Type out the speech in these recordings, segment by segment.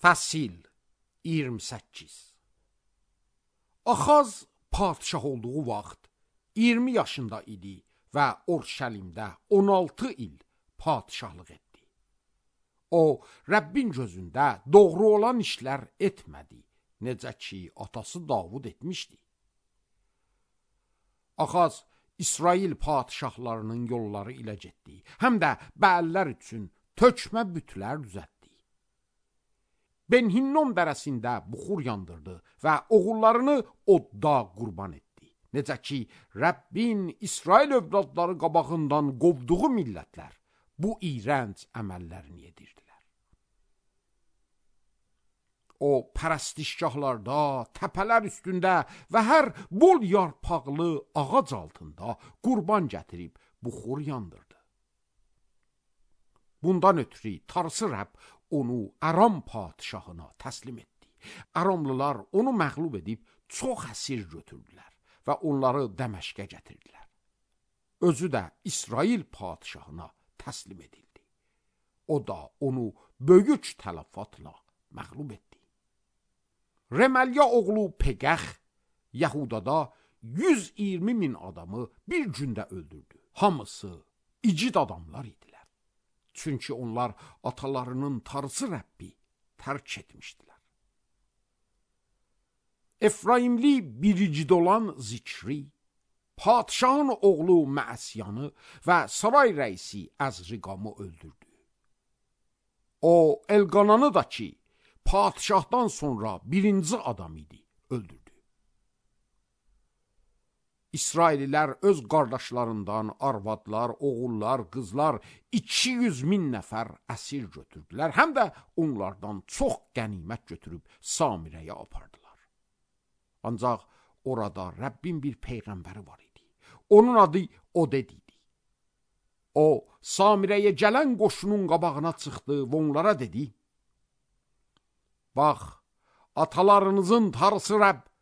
Fəsil 28. Axaz padişah olduğu vaxt 20 yaşında idi və Orşəlimdə 16 il padişahlıq etdi. O, Rəbbin gözündə doğru olan işlər etmədi, necə ki, atası Davud etmişdi. Axaz İsrail padişahlarının yolları ilə getdi, həm də Bəəllər üçün tökmə bütlər düzəltdi. Ben-Hinnom dərəsində buxur yandırdı və oğullarını odda qurban etdi. Necə ki, Rəbbin İsrail övladları qabağından qovduğu millətlər bu iyrənc əməllərini edirdilər. O, pərəstişgahlarda, təpələr üstündə və hər bol yarpaqlı ağac altında qurban gətirib buxur yandırdı. Bundan ötürü Tarsı Rəbb onu Aram padişahına təslim etdi. Aramlılar onu məğlub edib çox əsir götürdülər və onları Dəməşqə gətirdilər. Özü də İsrail padişahına təslim edildi. O da onu böyük tələfatla məğlub etdi. Reməlya oğlu Peqəx Yahudada 120 min adamı bir gündə öldürdü. Hamısı igid adamlar idilər. Çünki onlar atalarının Tarsı Rəbbi tərk etmişdilər. Efraimli biricid olan Zikri, padişahın oğlu Məəsiyanı və saray rəisi Əzriqamı öldürdü. O, Elqananı da ki, padişahdan sonra birinci adam idi, öldürdü. İsraililər öz qardaşlarından arvadlar, oğullar, qızlar 200 min nəfər əsir götürdülər. Həm də onlardan çox qənimət götürüb Samirəyə apardılar. Ancaq orada Rəbbin bir peyğəmbəri var idi. Onun adı Oded idi. O, Samirəyə gələn qoşunun qabağına çıxdı və onlara dedi: Bax, atalarınızın Tarsı Rəbb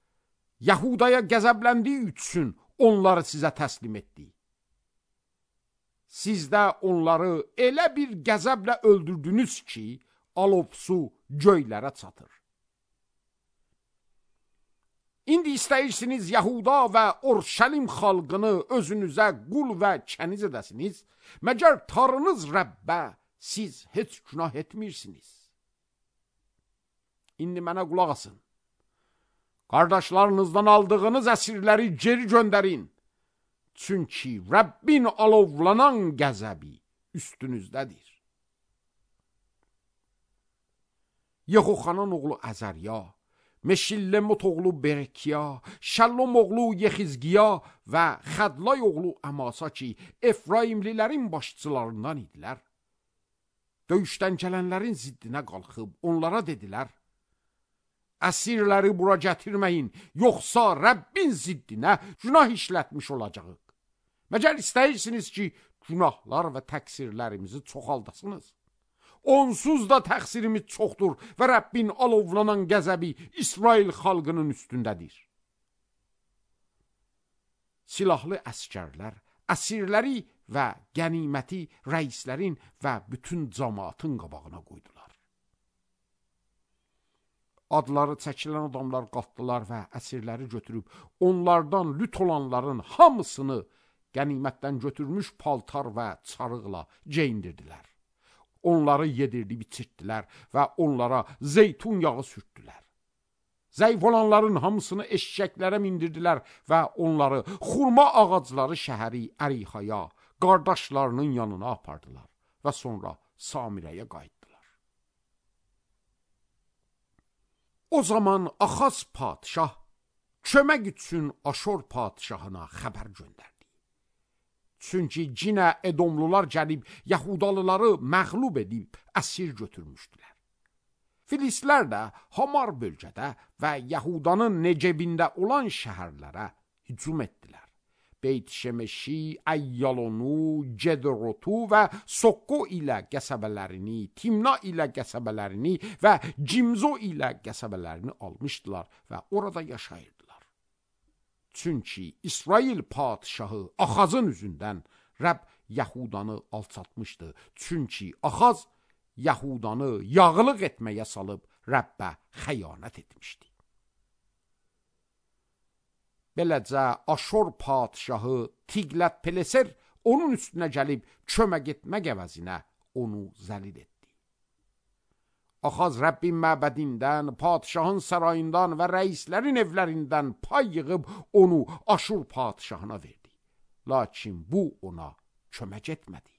Yahudaya qəzəbləndiyi üçün onları sizə təslim etdi. Siz də onları elə bir qəzəblə öldürdünüz ki, alov su göylərə çatır. İndi istəyirsiniz Yahuda və Orşəlim xalqını özünüzə qul və kəniz edəsiniz, məgər Tanrınız Rəbbə siz heç günah etmirsiniz. İndi mənə qulaq asın. Qardaşlarınızdan aldığınız əsirləri geri göndərin. Çünki Rəbbin alovlanan qəzəbi üstünüzdədir. Yehoxanan oğlu Əzərya, Meşillemot oğlu Berekiya, Şəllom oğlu Yexizqiya və Xədlay oğlu Əmasa ki, Efraimlilərin başçılarından idilər. Döyüşdən gələnlərin ziddinə qalxıb onlara dedilər: Əsirləri bura gətirməyin, yoxsa Rəbbin ziddinə günah işlətmiş olacağıq. Məgər istəyirsiniz ki, günahlar və təqsirlərimizi çoxaldasınız? Onsuz da təqsirimiz çoxdur və Rəbbin alovlanan qəzəbi İsrail xalqının üstündədir. Silahlı əskərlər, əsirləri və qəniməti rəislərin və bütün cəmaatın qabağına qoydular. Adları çəkilən adamlar qalxdılar və əsirləri götürüb, onlardan lüt olanların hamısını qənimətdən götürmüş paltar və çarıqla geyindirdilər. Onları yedirdib içirtdilər və onlara zeytun yağı sürtdülər. Zəif olanların hamısını eşşəklərə mindirdilər və onları xurma ağacları şəhəri Ərixaya, qardaşlarının yanına apardılar və sonra Samirəyə qayıtdılar. O zaman Axaz padişah kömək üçün Aşor padişahına xəbər göndərdi. Çünki cinə Edomlular gəlib Yahudalıları məğlub edib əsir götürmüşdülər. Filistlər də Hamar bölgədə və Yahudanın Necebində olan şəhərlərə hücum etdilər. Beyt-Şemeşi, Əyyalonu, Cedrotu və Sokko ilə qəsəbələrini, Timna ilə qəsəbələrini və Cimzo ilə qəsəbələrini almışdılar və orada yaşayırdılar. Çünki İsrail padişahı Axazın üzündən Rəbb Yahudanı alçatmışdı. Çünki Axaz Yahudanı yağlıq etməyə salıb Rəbbə xəyanət etmişdi. Beləcə Aşur padşahı Tiqlət-Pileser onun üstünə gəlib kömək etmək əvəzinə onu zəlil etdi. Axaz Rəbbin məbədindən, padşahın sarayından və rəislərin evlərindən pay yığıb onu Aşur padşahına verdi. Lakin bu ona kömək etmədi.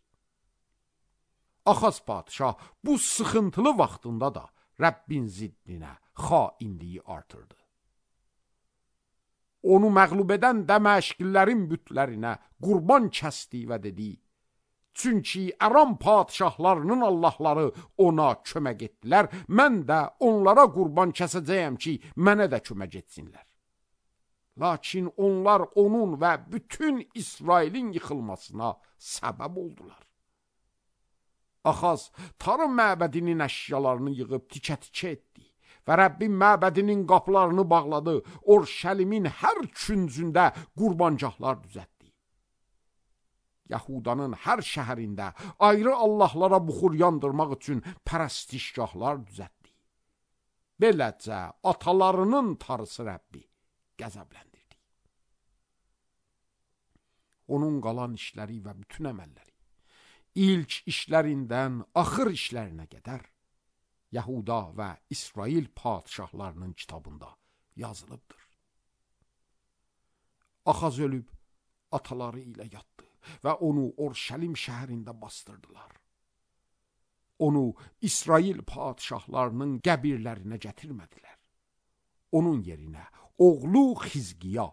Axaz padşah bu sıxıntılı vaxtında da Rəbbin ziddinə xainliyi artırdı. Onu məğlub edən Dəməşqlilərin bütlərinə qurban kəsdi və dedi: Çünki Aram padşahlarının Allahları ona kömək etdilər, mən də onlara qurban kəsəcəyəm ki, mənə də kömək etsinlər. Lakin onlar onun və bütün İsrailin yıxılmasına səbəb oldular. Axaz Tanrı məbədinin əşyalarını yığıb tikə-tikə etdi və Rəbbin məbədinin qapılarını bağladı, Orşəlimin hər küncündə qurbancaqlar düzəltdi. Yahudanın hər şəhərində ayrı Allahlara buxur yandırmaq üçün pərəstişgahlar düzəltdi. Beləcə atalarının Tanrısı Rəbbi qəzəbləndirdi. Onun qalan işləri və bütün əməlləri, ilk işlərindən axır işlərinə qədər Yahuda və İsrail padşahlarının kitabında yazılıbdır. Axaz ölüb ataları ilə yatdı və onu Orşəlim şəhərində bastırdılar. Onu İsrail padşahlarının qəbirlərinə gətirmədilər. Onun yerinə oğlu Xizqiya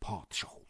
padşah oldu.